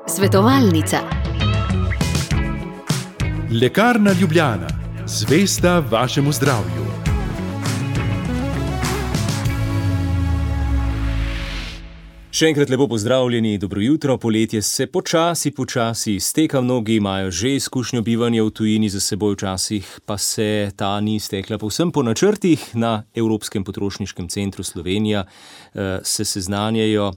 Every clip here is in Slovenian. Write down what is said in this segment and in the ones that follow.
Svetovalnica. Lekarna Ljubljana, zvesta vašemu zdravju. Še enkrat lepo pozdravljeni, dobro jutro. Poletje se počasi izteka, mnogi imajo že izkušnjo bivanja v tujini za seboj, včasih pa se ta ni iztekla povsem po načrtih. Na Evropskem potrošniškem centru Slovenija se seznanjajo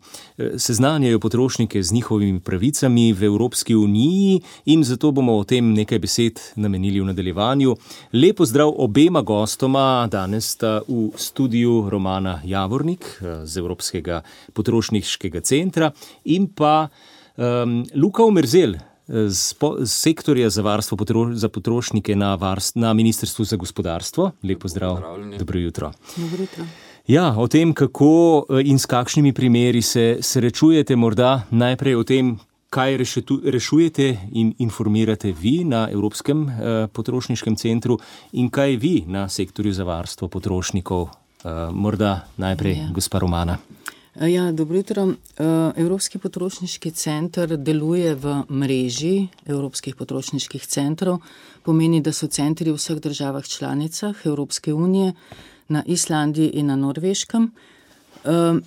potrošnike z njihovimi pravicami v Evropski uniji in zato bomo o tem nekaj besed namenili v nadaljevanju. Lep pozdrav obema gostoma, danes sta v studiu Romana Javornik z Evropskega potrošniškega centra in pa Luka Omerzel z sektorja za varstvo za potrošnike na Ministrstvu za gospodarstvo. Lep pozdrav. Dobro jutro. Dobro jutro. Ja, o tem, kako in s kakšnimi primeri se srečujete, morda najprej o tem, kaj rešujete in informirate vi na Evropskem potrošniškem centru in kaj vi na sektorju za varstvo potrošnikov. Morda najprej gospa Romana. Ja, dobro jutro. Evropski potrošniški center deluje v mreži Evropskih potrošniških centrov. Pomeni, da so centri v vseh državah članicah Evropske unije, na Islandiji in na Norveškem.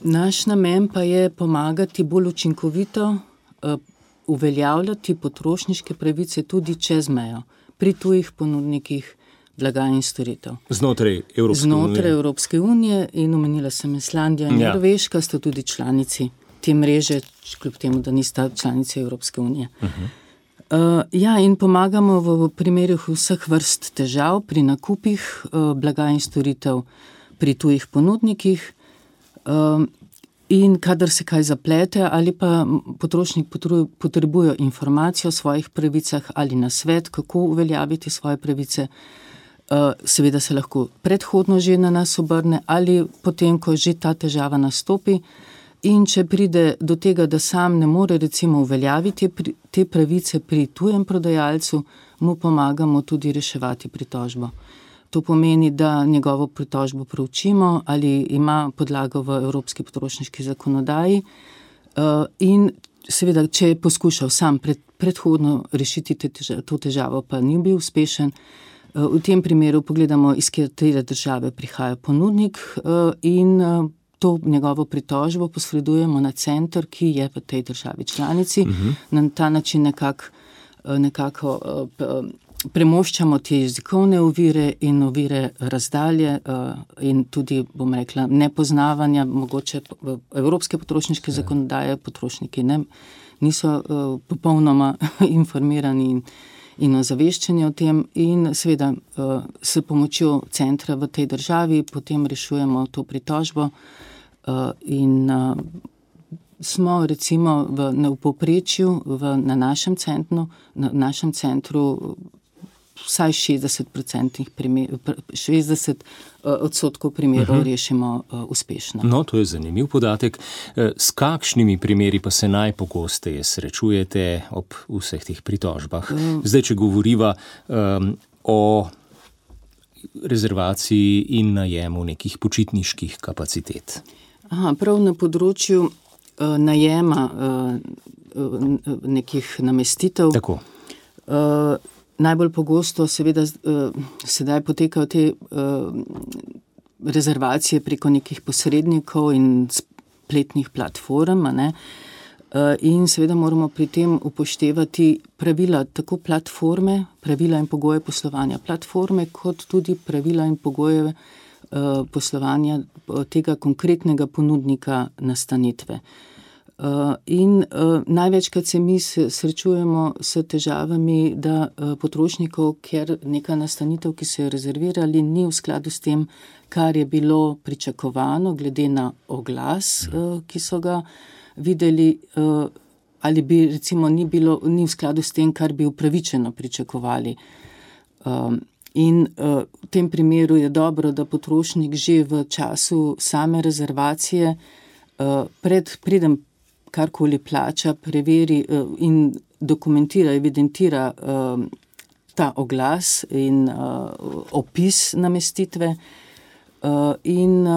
Naš namen pa je pomagati bolj učinkovito uveljavljati potrošniške pravice tudi čez mejo, pri tujih ponudnikih blaga in storitev. Znotraj Evropske unije in omenila sem Islandija in Norveška, sta tudi članici te mreže, kljub temu, da nista članici Evropske unije. In pomagamo v primerih vseh vrst težav pri nakupih blaga in storitev pri tujih ponudnikih in kadar se kaj zaplete ali pa potrošnik potrebuje informacijo o svojih pravicah ali nasvet, kako uveljaviti svoje pravice. Seveda se lahko predhodno že na nas obrne ali potem, ko že ta težava nastopi, in če pride do tega, da sam ne more recimo uveljaviti te pravice pri tujem prodajalcu, mu pomagamo tudi reševati pritožbo. To pomeni, da njegovo pritožbo proučimo ali ima podlago v Evropski potrošniški zakonodaji in seveda, če je poskušal sam predhodno rešiti to težavo, pa ni bil uspešen, v tem primeru pogledamo, iz katere države prihaja ponudnik in to njegovo pritožbo posredujemo na center, ki je v tej državi članici. Na ta način nekako premoščamo te jezikovne ovire in ovire razdalje in tudi, bom rekla, nepoznavanja, mogoče evropske potrošniške zakonodaje, potrošniki niso popolnoma informirani in ozaveščeni o tem in seveda s pomočjo centra v tej državi potem rešujemo to pritožbo in smo recimo v povprečju na našem centru vsaj 60% primerov rešimo uspešno. No, to je zanimiv podatek. S kakšnimi primeri pa se najpogosteje srečujete ob vseh teh pritožbah? Zdaj, če govoriva o rezervaciji in najemu nekih počitniških kapacitet. Prav na področju najema nekih namestitev. Tako. Najbolj pogosto seveda sedaj potekajo te rezervacije preko nekih posrednikov in spletnih platform, in seveda moramo pri tem upoštevati pravila tako platforme, pravila in pogoje poslovanja platforme, kot tudi pravila in pogoje poslovanja tega konkretnega ponudnika nastanitve. In največkrat se mi srečujemo s težavami, da potrošnikov, ker neka nastanitev, ki so jo rezervirali, ni v skladu s tem, kar je bilo pričakovano, glede na oglas, ki so ga videli, ali bi recimo ni v skladu s tem, kar bi upravičeno pričakovali. In v tem primeru je dobro, da potrošnik že v času same rezervacije preden karkoli plača, preveri in dokumentira, evidentira ta oglas in opis namestitve in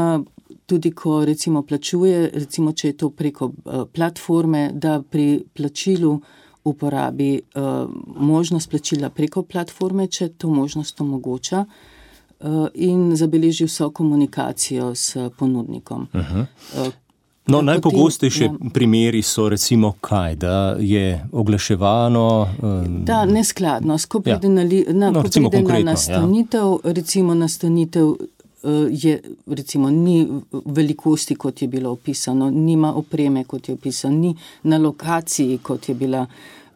tudi ko recimo plačuje, recimo če je to preko platforme, da pri plačilu uporabi možnost plačila preko platforme, če to možnost omogoča, in zabeleži vso komunikacijo s ponudnikom. No, najpogostejše primeri so recimo kaj, da je oglaševano... Da, neskladnost. Ko pride na nastanitev, recimo nastanitev je, recimo, ni velikosti, kot je bilo opisano, nima opreme, kot je opisano, ni na lokaciji, kot je bila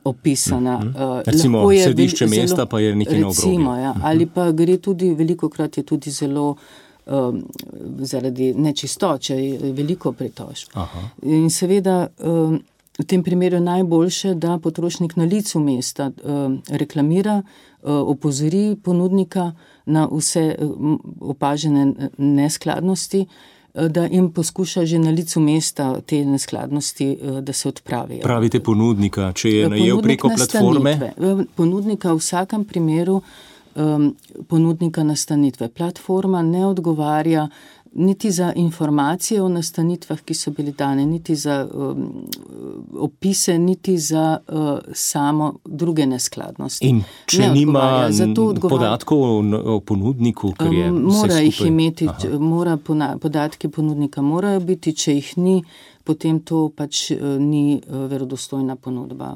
opisana. Recimo središče mesta pa je nekje na obrobju. Recimo, ja. Ali pa gre tudi, velikokrat je tudi zelo zaradi nečistoče, veliko pritožb. In seveda v tem primeru najboljše, da potrošnik na licu mesta reklamira, opozori ponudnika na vse opažene neskladnosti, da jim poskuša že na licu mesta te neskladnosti, da se odpravijo. Pravite ponudnika, če je najel preko platforme? Ponudnika v vsakem primeru ponudnika nastanitve. Platforma ne odgovarja niti za informacije o nastanitvah, ki so bili dane, niti za opise, niti za samo druge neskladnosti. In če nima podatkov o ponudniku, ker je mora jih imeti, podatki ponudnika morajo biti, če jih ni, potem to pač ni verodostojna ponudba.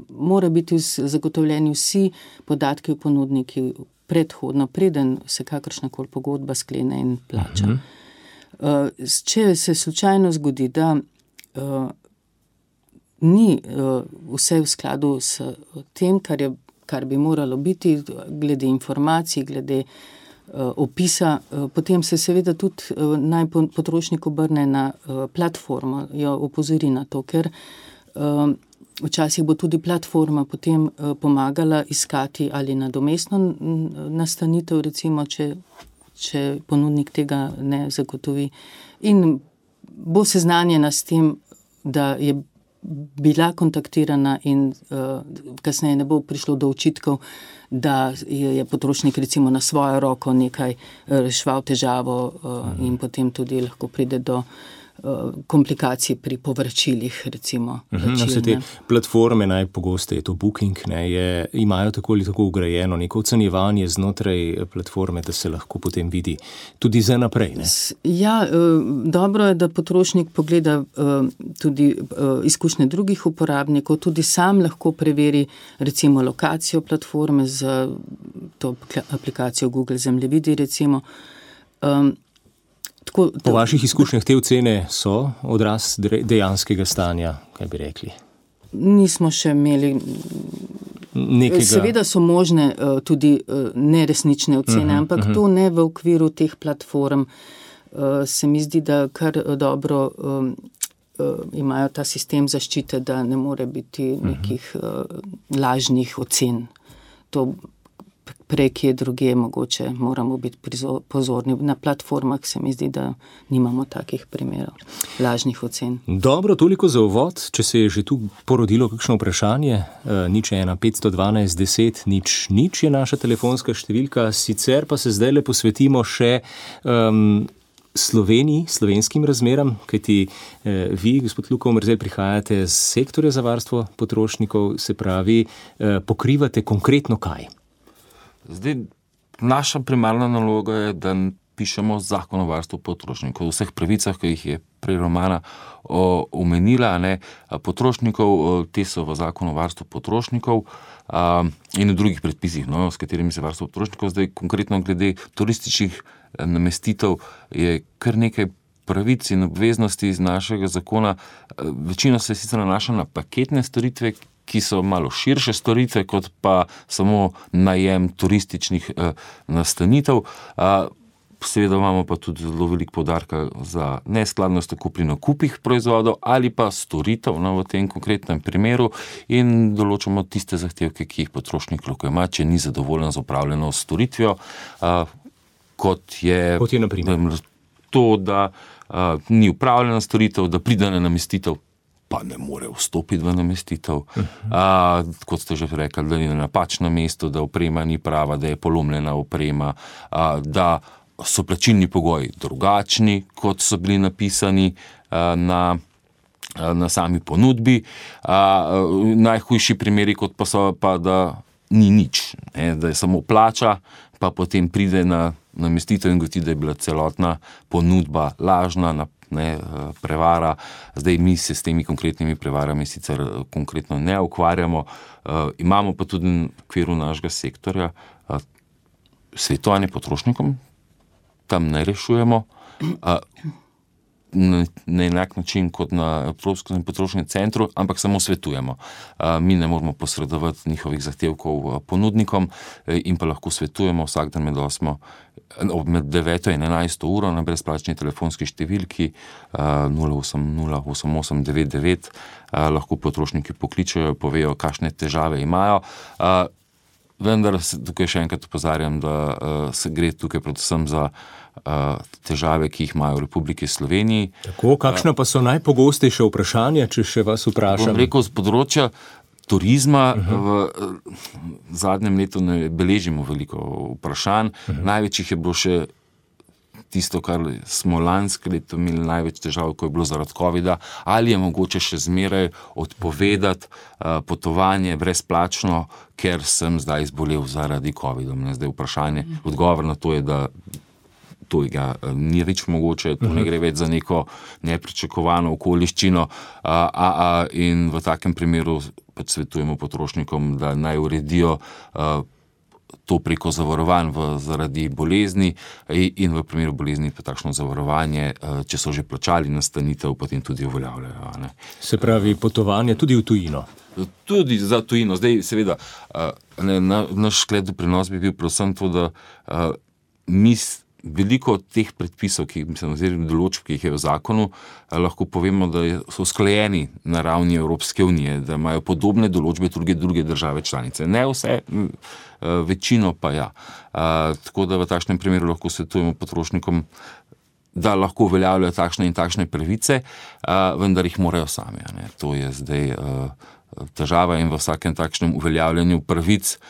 Mora biti zagotovljeni vsi podatki o ponudniki predhodno, preden se kakršnakoli pogodba sklene in plača. Če se slučajno zgodi, da ni vse v skladu s tem, kar bi moralo biti, glede informacij, glede opisa, potem se seveda tudi naj potrošnik obrne na platformo, jo opozori na to, ker včasih bo tudi platforma potem pomagala iskati ali nadomestno nastanitev, recimo, če ponudnik tega ne zagotovi. In bo seznanjena s tem, da je bila kontaktirana in kasneje ne bo prišlo do očitkov, da je potrošnik recimo na svojo roko nekaj reševal težavo in potem tudi lahko pride do komplikacij pri povračilih, recimo. Vse te platforme, najpogosteje je to Booking, imajo tako ali tako ugrajeno neko ocenjevanje znotraj platforme, da se lahko potem vidi tudi za naprej. Ja, dobro je, da potrošnik pogleda tudi izkušnje drugih uporabnikov, tudi sam lahko preveri recimo lokacijo platforme z to aplikacijo Google Zemljevidi, recimo. Po vaših izkušnjah te ocene so odraz dejanskega stanja, kaj bi rekli? Nismo še imeli nekega... Seveda so možne tudi neresnične ocene, ampak to ne v okviru teh platform. Se mi zdi, da kar dobro imajo ta sistem zaščite, da ne more biti nekih lažnih ocen. To prej je druge, mogoče moramo biti pozorni. Na platformah se mi zdi, da nimamo takih primerov lažnih ocen. Dobro, toliko za uvod. Če se je že tu porodilo kakšno vprašanje, 01 512 10 0 je naša telefonska številka, sicer pa se zdaj le posvetimo še Sloveniji, slovenskim razmeram, kajti vi, gospod Luka Omerzel, prihajate z sektorja za varstvo potrošnikov, se pravi, pokrivate konkretno kaj? Zdaj, naša primarna naloga je, da pišemo zakon o varstvu potrošnikov, o vseh pravicah, ki jih je prej Romana omenila, potrošnikov, te so v zakonu o varstvu potrošnikov in v drugih predpisih, s katerimi se varstvo potrošnikov. Zdaj, konkretno glede turističnih namestitev je kar nekaj pravic in obveznosti iz našega zakona. Večino se sicer nanaša na paketne storitve, ki so malo širše storitve, kot pa samo najem turističnih nastanitev. Seveda imamo pa tudi zelo veliko poudarka za neskladnost tako pri nakupih proizvodov ali pa storitev v tem konkretnem primeru in določamo tiste zahtevke, ki jih potrošnik lahko ima, če ni zadovoljen z opravljeno storitvijo, kot je na primer to, da ni upravljena storitev, da pride na namestitev, pa ne more vstopiti v namestitev. Kot ste že rekli, da ni na napačnem mestu, da oprema ni prava, da je polomljena oprema, da so plačilni pogoji drugačni, kot so bili napisani na sami ponudbi. Najhujši primeri, kot pa so, pa da ni nič, da je samo plača, pa potem pride na namestitev in gotovi, da je bila celotna ponudba lažna, prevara. Zdaj mi se s temi konkretnimi prevarami sicer konkretno ne ukvarjamo. Imamo pa tudi v okviru našega sektorja svetovanje potrošnikom, tam ne rešujemo na enak način kot na Evropskem potrošnem centru, ampak samo svetujemo. Mi ne moramo posredovati njihovih zahtevkov ponudnikom in pa lahko svetujemo vsak dan med 9 in 11 uro na brezplačni telefonski številki 0808899. Lahko potrošniki pokličejo, povejo, kakšne težave imajo. Vendar tukaj še enkrat opozarjam, da se gre tukaj predvsem za težave, ki jih imajo v Republiki Sloveniji. Tako, kakšna pa so najpogostejša vprašanja, če še vas vprašam? Bom rekel, z področja turizma v zadnjem letu ne beležimo veliko vprašanj. Največ jih je bilo še tisto, kar smo lansko leto imeli največ težav, ko je bilo zaradi covida, ali je mogoče še zmeraj odpovedati potovanje brezplačno, ker sem zdaj zbolel zaradi covida. Zdaj vprašanje, odgovor na to je, da to ni več mogoče, to ne gre več za neko nepričakovano okoliščino in v takem primeru pač svetujemo potrošnikom, da naj uredijo to preko zavarovanj zaradi bolezni in v primeru bolezni pa takšno zavarovanje, če so že plačali nastanitev, potem tudi uveljavljajo. Se pravi, potovanje tudi v tujino? Tudi za tujino. Zdaj, seveda, naš sklep doprinos bi bil predvsem to, da mi veliko teh predpisov, oziroma določb, ki jih je v zakonu, lahko povemo, da so usklajeni na ravni Evropske unije, da imajo podobne določbe tudi druge države članice. Ne vse, večino pa ja. Tako da v takšnem primeru lahko svetujemo potrošnikom, da lahko uveljavljajo takšne in takšne pravice, vendar jih morajo sami. To je zdaj težava in v vsakem takšnem uveljavljanju pravic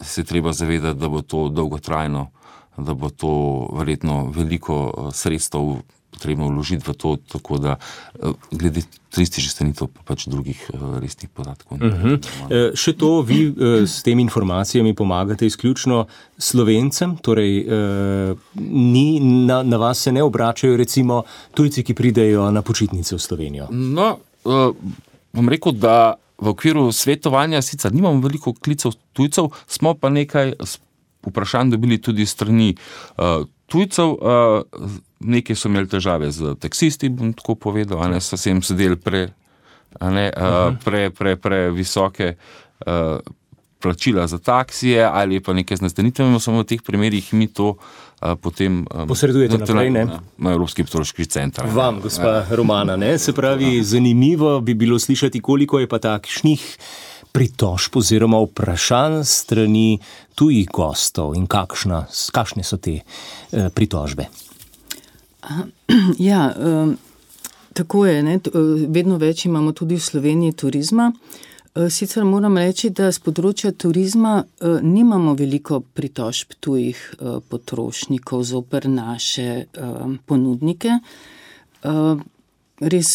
se treba zavedati, da bo to dolgotrajno, da bo to verjetno veliko sredstev potrebno vložiti v to, tako da glede turističnih stanitev pa pač drugih resnih podatkov. Še to, vi s temi informacijami pomagate izključno Slovencem, torej na vas se ne obračajo recimo tujci, ki pridejo na počitnice v Slovenijo? No, bom rekel, da v okviru svetovanja sicer nimamo veliko klicev tujcev, smo pa nekaj vprašanj dobili tudi strani tujcev. Nekaj so imeli težave z taksisti, bom tako povedal, so se jim sedeli previsoke plačila za taksije ali pa nekaj z nastanitvami, samo v teh primerih mi to potem posredujete naprej, ne? Na Evropski potrošniški center. Vam, gospa Romana, ne? Se pravi, zanimivo bi bilo slišati, koliko je pa takšnih pritožb oziroma vprašanj strani tujih gostov in kakšne so te pritožbe? Ja, tako je, ne? Vedno več imamo tudi v Sloveniji turizma. Sicer moram reči, da z področja turizma nimamo veliko pritožb tujih potrošnikov zoper naše ponudnike. Res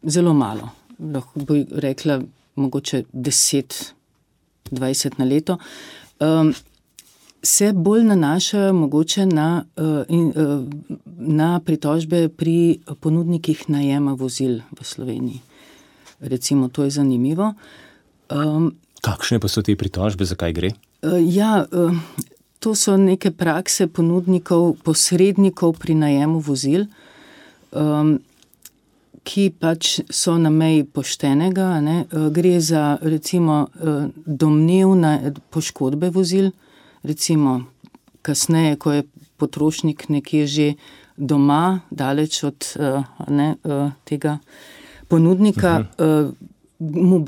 zelo malo, lahko bi rekla mogoče 10-20 na leto. Se bolj nanašajo mogoče na pritožbe pri ponudnikih najema vozil v Sloveniji. Recimo, to je zanimivo. Kakšne pa so te pritožbe, zakaj gre? To so neke prakse ponudnikov, posrednikov pri najemu vozil, ki pač so na meji poštenega. Gre za recimo domnevne poškodbe vozil, recimo kasneje, ko je potrošnik nekje že doma, daleč od tega ponudnika, mu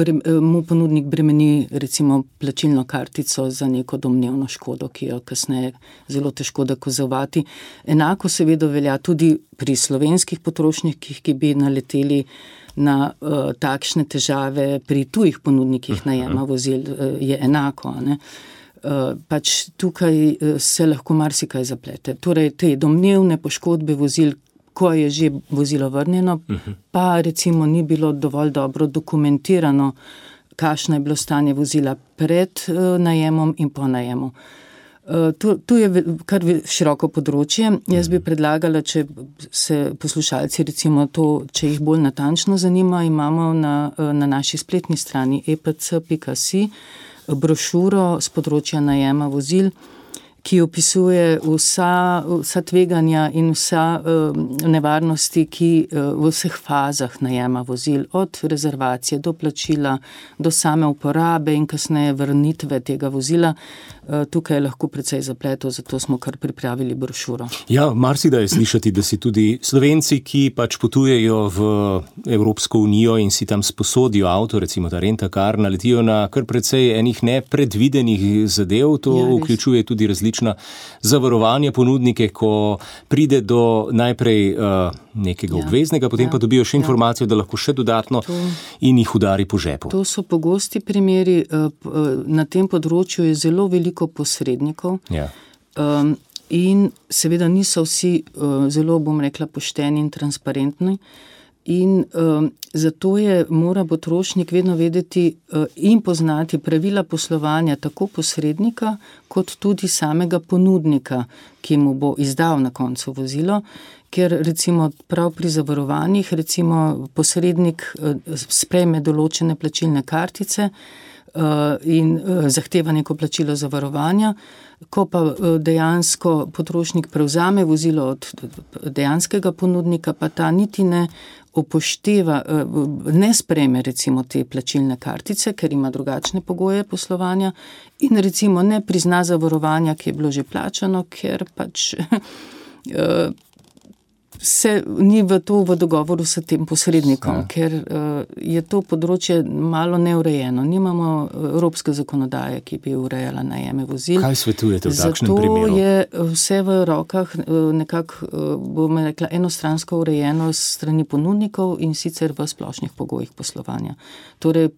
ponudnik bremeni recimo plačilno kartico za neko domnevno škodo, ki jo kasneje zelo težko dokazovati. Enako seveda velja tudi pri slovenskih potrošnikih, ki bi naleteli na takšne težave pri tujih ponudnikih najema vozil, je enako. pač tukaj se lahko marsikaj zaplete. Torej, te domnevne poškodbe vozil, ko je že vozilo vrnjeno, pa recimo ni bilo dovolj dobro dokumentirano, kakšno je bilo stanje vozila pred najemom in po najemu. Tu je kar široko področje. Jaz bi predlagala, če se poslušalci recimo to, če jih bolj natančno zanima, imamo na naši spletni strani epc.si brošuro z področja najema vozil, ki opisuje vsa tveganja in vsa nevarnosti, ki v vseh fazah najema vozil, od rezervacije do plačila, do same uporabe in kasneje vrnitve tega vozila. Tukaj je lahko precej zapletov, zato smo kar pripravili brošuro. Ja, marsikdaj je slišati, da si tudi Slovenci, ki pač potujejo v Evropsko unijo in si tam sposodijo avto, recimo ta rent-a-car, naletijo na kar precej enih nepredvidenih zadev. To vključuje tudi različna zavarovanja ponudnike, ko pride do najprej nekega obveznega, potem pa dobijo še informacijo, da lahko še dodatno in jih udari po žepu. To so pogosti primeri. Na tem področju je zelo veliko posrednikov in seveda niso vsi zelo, bom rekla, pošteni in transparentni. In zato mora potrošnik vedno vedeti in poznati pravila poslovanja tako posrednika, kot tudi samega ponudnika, ki mu bo izdal na koncu vozilo, ker recimo prav pri zavarovanjih, recimo posrednik sprejme določene plačilne kartice in zahteva neko plačilo zavarovanja, ko pa dejansko potrošnik prevzame vozilo od dejanskega ponudnika, pa ta niti ne upošteva, ne sprejme recimo te plačilne kartice, ker ima drugačne pogoje poslovanja in recimo ne prizna zavarovanja, ki je bilo že plačano, ker pač se ni v dogovoru s tem posrednikom, ker je to področje malo neurejeno. Nimamo evropske zakonodaje, ki bi urejala najeme vozil. Kaj svetujete v takšnem primeru? Zato je vse v rokah nekako, bom rekla, enostransko urejeno s strani ponudnikov in sicer v splošnih pogojih poslovanja. Torej,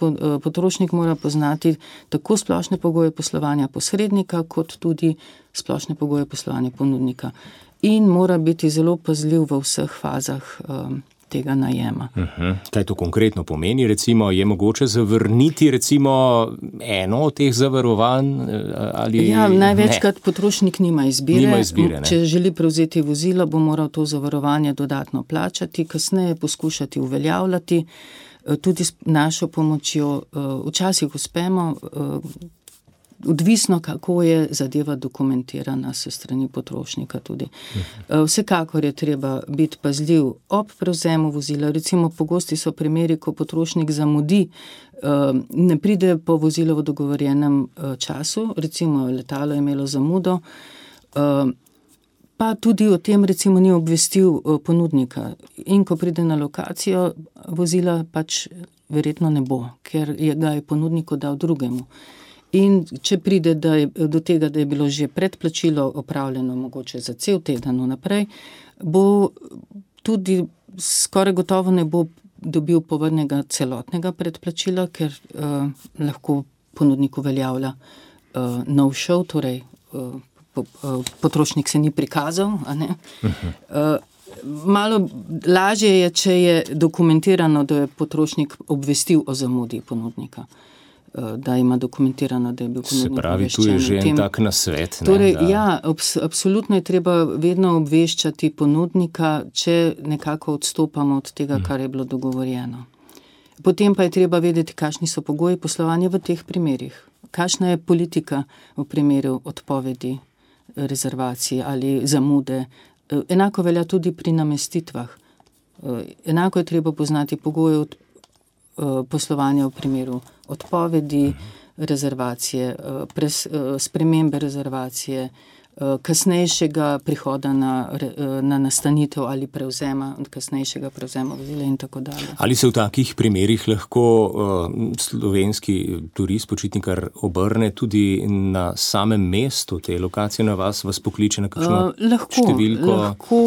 potrošnik mora poznati tako splošne pogoje poslovanja posrednika, kot tudi splošne pogoje poslovanja ponudnika. In mora biti zelo pazljiv v vseh fazah tega najema. Kaj to konkretno pomeni? Recimo, je mogoče zavrniti recimo eno od teh zavarovanj? Ali največkrat potrošnik nima izbire. Če želi prevzeti vozilo, bo moral to zavarovanje dodatno plačati, kasneje poskušati uveljavljati, tudi s našo pomočjo. Včasih uspemo, odvisno, kako je zadeva dokumentirana s strani potrošnika tudi. Vsekakor je treba biti pazljiv ob prevzemu vozila. Recimo, pogosti so primeri, ko potrošnik zamudi, ne pride po vozilo v dogovorjenem času, recimo letalo je imelo zamudo, pa tudi o tem recimo ni obvestil ponudnika. In ko pride na lokacijo, vozila pač verjetno ne bo, ker ga je ponudniku dal drugemu. In če pride do tega, da je bilo že predplačilo opravljeno mogoče za cel teden naprej, bo tudi skoraj gotovo ne bo dobil povrnega celotnega predplačila, ker lahko ponudnik uveljavlja nov šov, torej potrošnik se ni prikazal. A ne? Malo lažje je, če je dokumentirano, da je potrošnik obvestil o zamudi ponudnika, da ima dokumentirano, da je bil ponudnik obveščen. Se pravi, tu je že en tak nasvet. Torej, absolutno je treba vedno obveščati ponudnika, če nekako odstopamo od tega, kar je bilo dogovorjeno. Potem pa je treba vedeti, kakšni so pogoji poslovanja v teh primerih. Kakšna je politika v primeru odpovedi rezervacije ali zamude. Enako velja tudi pri namestitvah. Enako je treba poznati pogoje poslovanja v primeru odpovedi rezervacije, spremembe rezervacije, kasnejšega prihoda na nastanitev ali kasnejšega prevzema vozila in tako dalje. Ali se v takih primerih lahko slovenski turist, počitnikar obrne tudi na samem mestu te lokacije na vas pokliče na kakšno številko?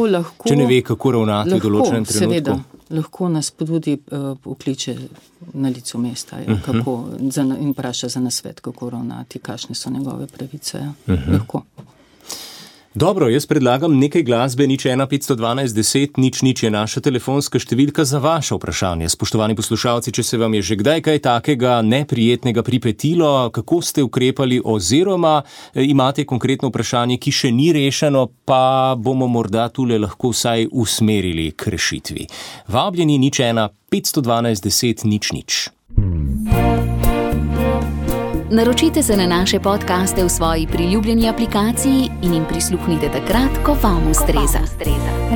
Lahko. Če ne ve, kako ravnati v določenem trenutku? Seveda. lahko nas tudi pokliče na licu mesta in vpraša za nasvet, kako ravnati, kakšne so njegove pravice. Lahko. Dobro, jaz predlagam nekaj glasbe, 01 512 10 00 je naša telefonska številka za vaše vprašanje. Spoštovani poslušalci, če se vam je že kdaj kaj takega neprijetnega pripetilo, kako ste ukrepali oziroma imate konkretno vprašanje, ki še ni rešeno, pa bomo morda tule lahko vsaj usmerili k rešitvi. Vabljeni 01 512 10 00. Naročite se na naše podcaste v svoji priljubljeni aplikaciji in jim prisluhnite takrat, ko vam ustreza.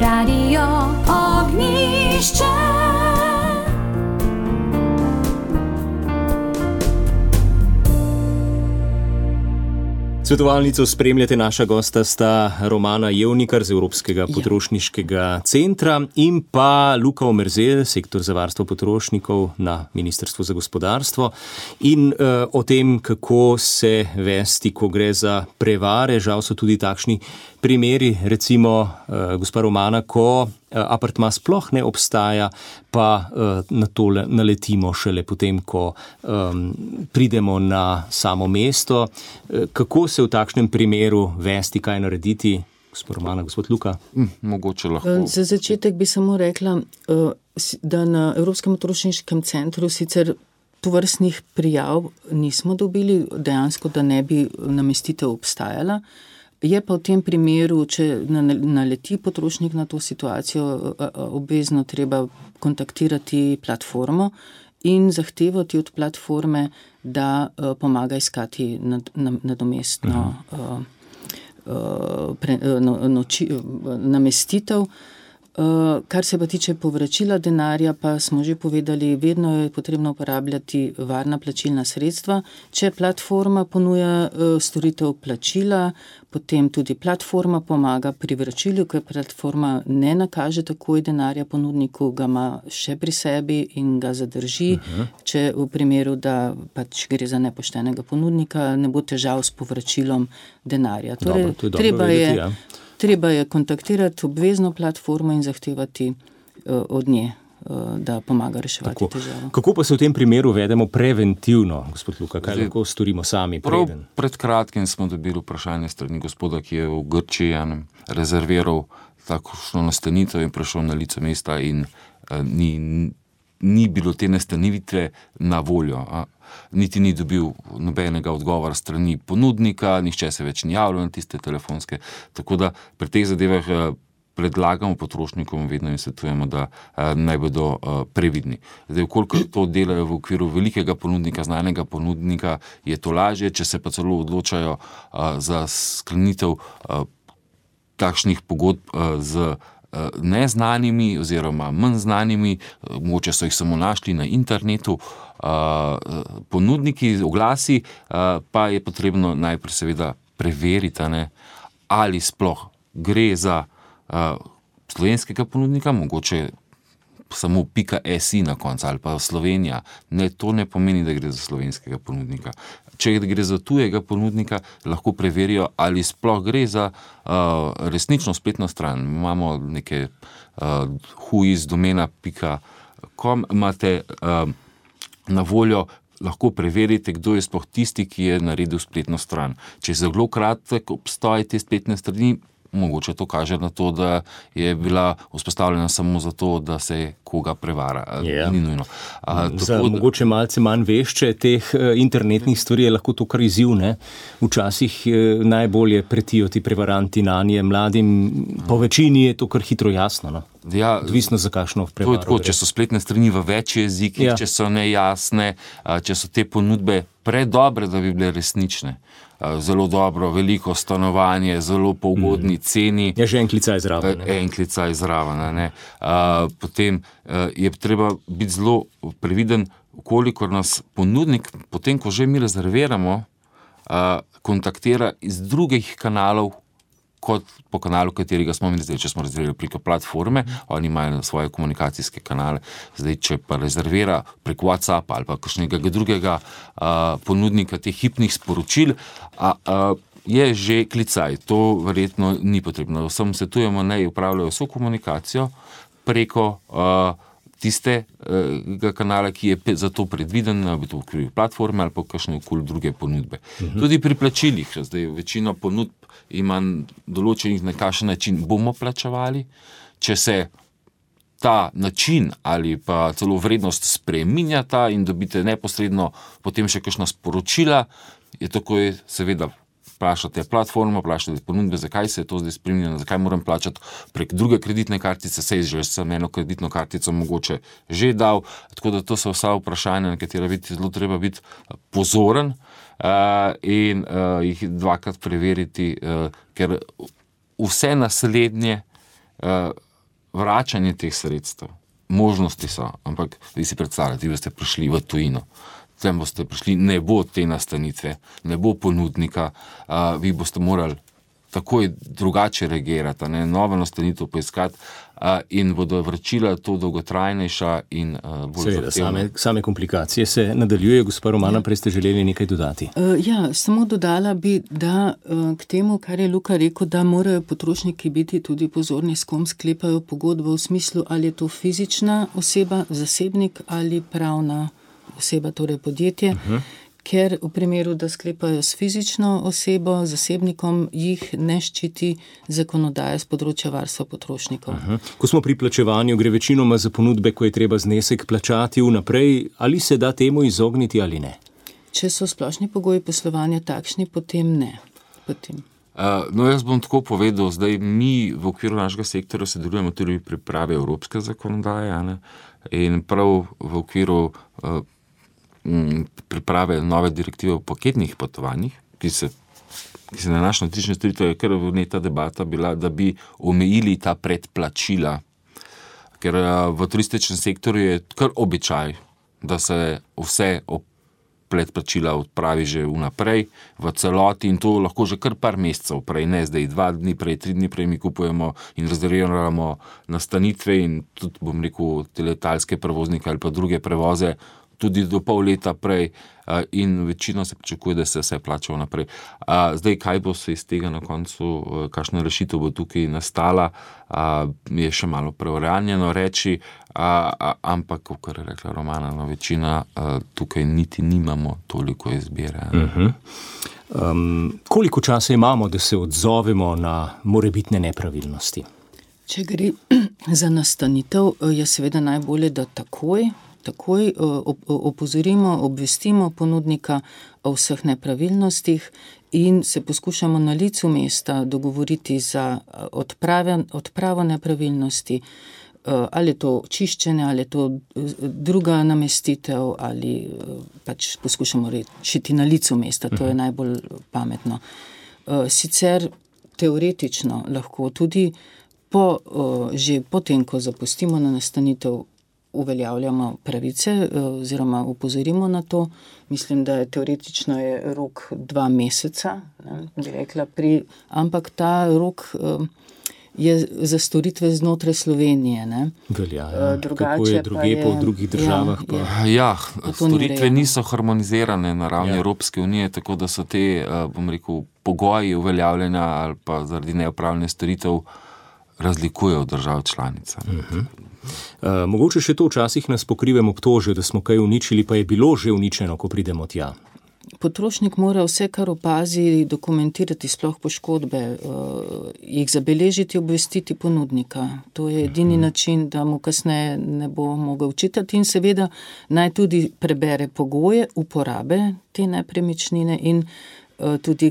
Radio Ognjišče. Svetovalnico spremljate, naša gosta sta Romana Jevnikar z Evropskega potrošniškega centra in pa Luka Omerzel, sektor za varstvo potrošnikov na Ministrstvu za gospodarstvo. In o tem, kako se vesti, ko gre za prevare, žal so tudi takšni primeri, recimo gospa Romana, ko apartma sploh ne obstaja, pa na to naletimo šele potem, ko pridemo na samo mesto. Kako se v takšnem primeru vesti, kaj narediti? Gospod Romana, gospod Luka? Mogoče lahko. Za začetek bi samo rekla, da na Evropskem potrošniškem centru sicer tovrstnih prijav nismo dobili, dejansko, da ne bi namestitev obstajala. Je pa v tem primeru, če naleti potrošnik na to situacijo, obvezno treba kontaktirati platformo in zahtevati od platforme, da pomaga iskati nadomestno namestitev. Kar se pa tiče povračila denarja, pa smo že povedali, vedno je potrebno uporabljati varna plačilna sredstva. Če platforma ponuja storitev plačila, potem tudi platforma pomaga pri vračilu, ker platforma ne nakaže takoj denarja ponudniku, ga ima še pri sebi in ga zadrži. Če v primeru, da pač gre za nepoštenega ponudnika, ne bo težav s povračilom denarja. Torej, treba je kontaktirati obvezno platformo in zahtevati od nje, da pomaga reševati težavo. Kako pa se v tem primeru vedemo preventivno, gospod Luka? Kaj lahko storimo sami? Pred kratkim smo dobili vprašanje strani gospoda, ki je v Grčiji rezerviral takšno nastanitev in prišel na lice mesta in ni bilo te nastanitve na voljo. Niti ni dobil nobenega odgovora strani ponudnika, nihče se več ni javljal na tiste telefonske. Tako da pri teh zadevah predlagamo potrošnikom, vedno jim svetujemo, da naj bodo previdni. Zdaj, koliko to delajo v okviru velikega ponudnika, znanega ponudnika, je to lažje, če se pa celo odločajo za sklenitev takšnih pogodb z neznanimi oziroma manj znanimi, mogoče so jih samo našli na internetu, ponudniki, oglasi, pa je potrebno najprej seveda preveriti, ali sploh gre za slovenskega ponudnika, mogoče samo .si na koncu ali pa Slovenija. Ne, to ne pomeni, da gre za slovenskega ponudnika. Če gre za tujega ponudnika, lahko preverijo, ali sploh gre za resnično spletno stran. Imamo neke whoisdomena.com, imate na voljo, lahko preverite, kdo je sploh tisti, ki je naredil spletno stran. Če je zelo kratek obstoj te spletne strani, mogoče to kaže na to, da je bila vzpostavljena samo zato, da se koga prevara. Ni nujno. Za mogoče malce manj vešče teh internetnih stvari je lahko to kar izziv, ne? Včasih najbolje pretijo ti prevaranti nanje mladim, po večini je to kar hitro jasno, no? Ja, odvisno za kakšno prevaro. To je tako, če so spletne strani v več jezikih, če so nejasne, če so te ponudbe predobre, da bi bile resnične. Zelo dobro, veliko stanovanje, zelo po ugodni ceni. Je že en klicaj zraven. Potem je treba biti zelo previden, kolikor nas ponudnik, potem ko že mi rezerviramo, kontaktira iz drugih kanalov, kot po kanalu, katerega smo mi zdaj, če smo rezervirali preko platforme, oni imajo svoje komunikacijske kanale. Zdaj, če pa rezervira preko WhatsAppa ali pa kakšnega drugega ponudnika teh hipnih sporočil, je že klicaj. To verjetno ni potrebno. Vsem svetujemo, naj upravljajo vso komunikacijo preko tistega kanala, ki je za to predviden, ali to v okviru platforme ali pa kakšne okoli druge ponudbe. Tudi pri plačilih, zdaj večino ponudb ima določenih na kakšen način bomo plačevali, če se ta način ali pa celo vrednost spreminjata in dobite neposredno potem še kakšna sporočila, je takoj seveda vprašate platformo, vprašate ponudbe, zakaj se je to zdaj spremenilo, zakaj moram plačati prek druge kreditne kartice, sej že sem eno kreditno kartico mogoče že dal, tako da to so vsa vprašanja, na katera zelo treba biti pozoren in jih dvakrat preveriti, ker vse naslednje vračanje teh sredstev, možnosti so, ampak vi si predstavljate, vi boste prišli v tujino, tam boste prišli, ne bo te nastanitve, ne bo ponudnika, vi boste morali takoj drugače reagirati, nova nastanitev poiskati in bodo vračila to dolgotrajnejša in bolj zahtevna. Same komplikacije se nadaljuje. Gospa Romana, prej ste želeli nekaj dodati. Samo dodala bi, da k temu, kar je Luka rekel, da morajo potrošniki biti tudi pozorni, s kom sklepajo pogodbo v smislu, ali je to fizična oseba, zasebnik ali pravna oseba, torej podjetje. Ker v primeru, da sklepajo s fizično osebo, zasebnikom, jih ne ščiti zakonodaja z področja varstva potrošnikov. Ko smo pri plačevanju, gre večinoma za ponudbe, ko je treba znesek plačati vnaprej, ali se da temu izogniti ali ne? Če so splošni pogoji poslovanja takšni, potem ne. Jaz bom tako povedal, zdaj mi v okviru našega sektorja sodelujemo tudi pri pripravi evropske zakonodaje, in prav v okviru priprave nove direktive o paketnih potovanjih, ki se nanaša na turistične storitve, je kar vneta debata bila, da bi omejili ta predplačila, ker v turističnem sektorju je kar običaj, da se vse predplačila odpravi že vnaprej, v celoti in to lahko že kar par mesecev prej, ne zdaj 2 dni prej, 3 dni prej mi kupujemo in rezerviramo nastanitve in tudi, bom rekel, te letalske prevoznike ali pa druge prevoze, tudi do pol leta prej in večino se pričakuje, da se vse plača vnaprej. Zdaj, kaj bo se iz tega na koncu, kakšna rešitev bo tukaj nastala, je še malo preuranjeno reči, ampak, kot je rekla Romana, večina tukaj niti nimamo toliko izbire. Koliko časa imamo, da se odzovemo na morebitne nepravilnosti? Če gre za nastanitev, je seveda najbolje, da takoj opozorimo, obvestimo ponudnika o vseh nepravilnostih in se poskušamo na licu mesta dogovoriti za odpravo nepravilnosti, ali je to čiščenje, ali je to druga namestitev, ali pač poskušamo rešiti na licu mesta, to je najbolj pametno. Sicer teoretično lahko tudi že potem, ko zapustimo na nastanitev, uveljavljamo pravice oziroma upozorimo na to. Mislim, da je teoretično rok 2 meseca, bi rekla, ampak ta rok je za storitve znotraj Slovenije. Velja, kako je druge po drugih državah? Storitve niso harmonizirane na ravni Evropske unije, tako da so te, bom rekel, pogoji uveljavljanja ali pa zaradi neopravljanja storitev razlikujejo od držav članica. Mogoče še to, včasih nas pokrivem obtožijo, da smo kaj uničili, pa je bilo že uničeno, ko pridemo tja. Potrošnik mora vse, kar opazi, dokumentirati, sploh poškodbe, jih zabeležiti, obvestiti ponudnika. To je edini način, da mu kasneje ne bo mogel učitati in seveda naj tudi prebere pogoje uporabe te nepremičnine in tudi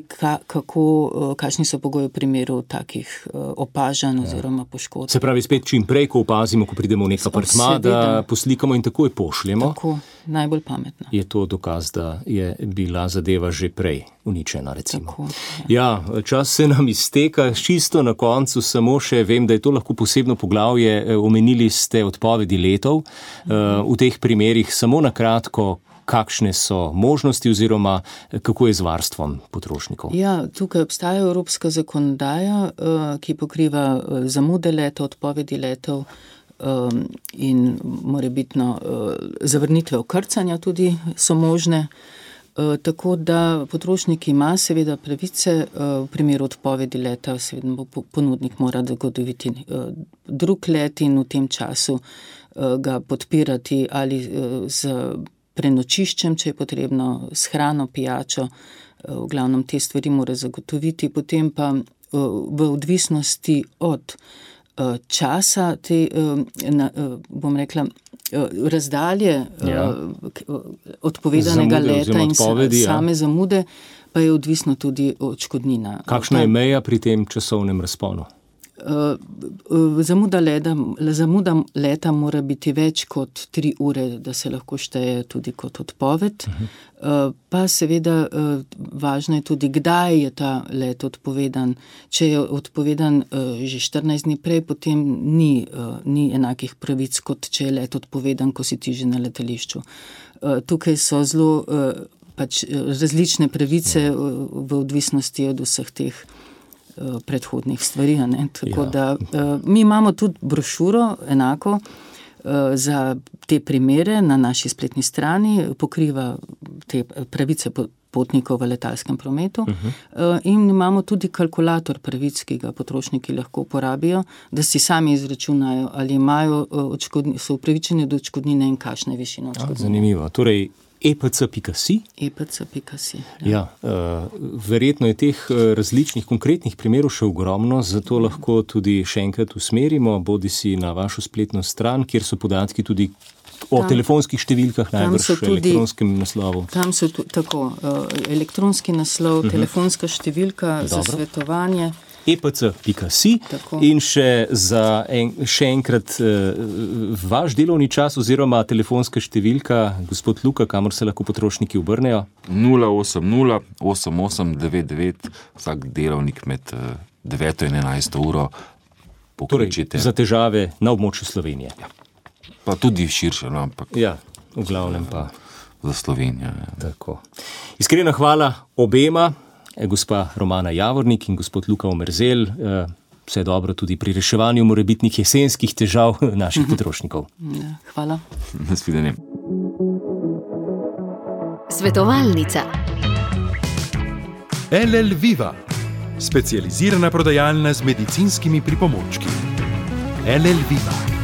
kakšni so pogoji v primeru takih opažanj oziroma poškodb. Se pravi, spet čim prej, ko opazimo, ko pridemo v nek apartma, da poslikamo in takoj pošljemo. Tako, najbolj pametno. Je to dokaz, da je bila zadeva že prej uničena, recimo. Tako, čas se nam izteka, čisto na koncu samo še vem, da je to lahko posebno poglavje, omenili ste odpovedi letov. V teh primerih samo na kratko, kakšne so možnosti oziroma kako je z varstvom potrošnikov? Tukaj obstaja evropska zakonodaja, ki pokriva zamude letov, odpovedi letov in morebitno zavrnitve vkrcanja tudi so možne. Tako da potrošnik ima seveda pravice, v primeru odpovedi leta seveda ponudnik mora zagotoviti drug let in v tem času ga podpirati ali z prenočiščem, če je potrebno, s hrano, pijačo, v glavnem te stvari mora zagotoviti, potem pa v odvisnosti od časa, bom rekla, razdalje odpovedanega leta in same zamude, pa je odvisno tudi odškodnina. Kakšna je meja pri tem časovnem razponu? Zamuda leta mora biti več kot 3 ure, da se lahko šteje tudi kot odpoved. Pa seveda važno je tudi, kdaj je ta let odpovedan. Če je odpovedan že 14 dni prej, potem ni enakih pravic, kot če je let odpovedan, ko si ti že na letališču. Tukaj so zelo različne pravice v odvisnosti od vseh teh predhodnih stvari. Tako da mi imamo tudi brošuro enako za te primere na naši spletni strani, pokriva te pravice potnikov v letalskem prometu in imamo tudi kalkulator pravic, ki ga potrošniki lahko uporabijo, da si sami izračunajo, ali so upravičeni do odškodnine in kakšne višine odškodnine. Zanimivo. Torej, epc.si? epc.si. Ja, verjetno je teh različnih konkretnih primerov še ogromno, zato lahko tudi še enkrat usmerimo, bodisi na vašo spletno stran, kjer so podatki tudi o telefonskih številkah, najbrž elektronskem naslovu. Tam so tako, elektronski naslov, telefonska številka za svetovanje. epc.si in še enkrat vaš delovni čas oziroma telefonska številka, gospod Luka, kamor se lahko potrošniki obrnejo? 080 8899, vsak delovnik med 9 in 11 uro pokličite. Torej, za težave na območju Slovenije. Ja. Pa tudi širše, ampak ja, v glavnem pa za Slovenijo. Ja. Tako. Iskrena hvala obema, gospa Romana Javornik in gospod Luka Omerzel. Vse dobro tudi pri reševanju morebitnih jesenskih težav naših potrošnikov. Ja, hvala. Nasvidenje. Svetovalnica. LL Viva, specializirana prodajalna z medicinskimi pripomočki. LL Viva.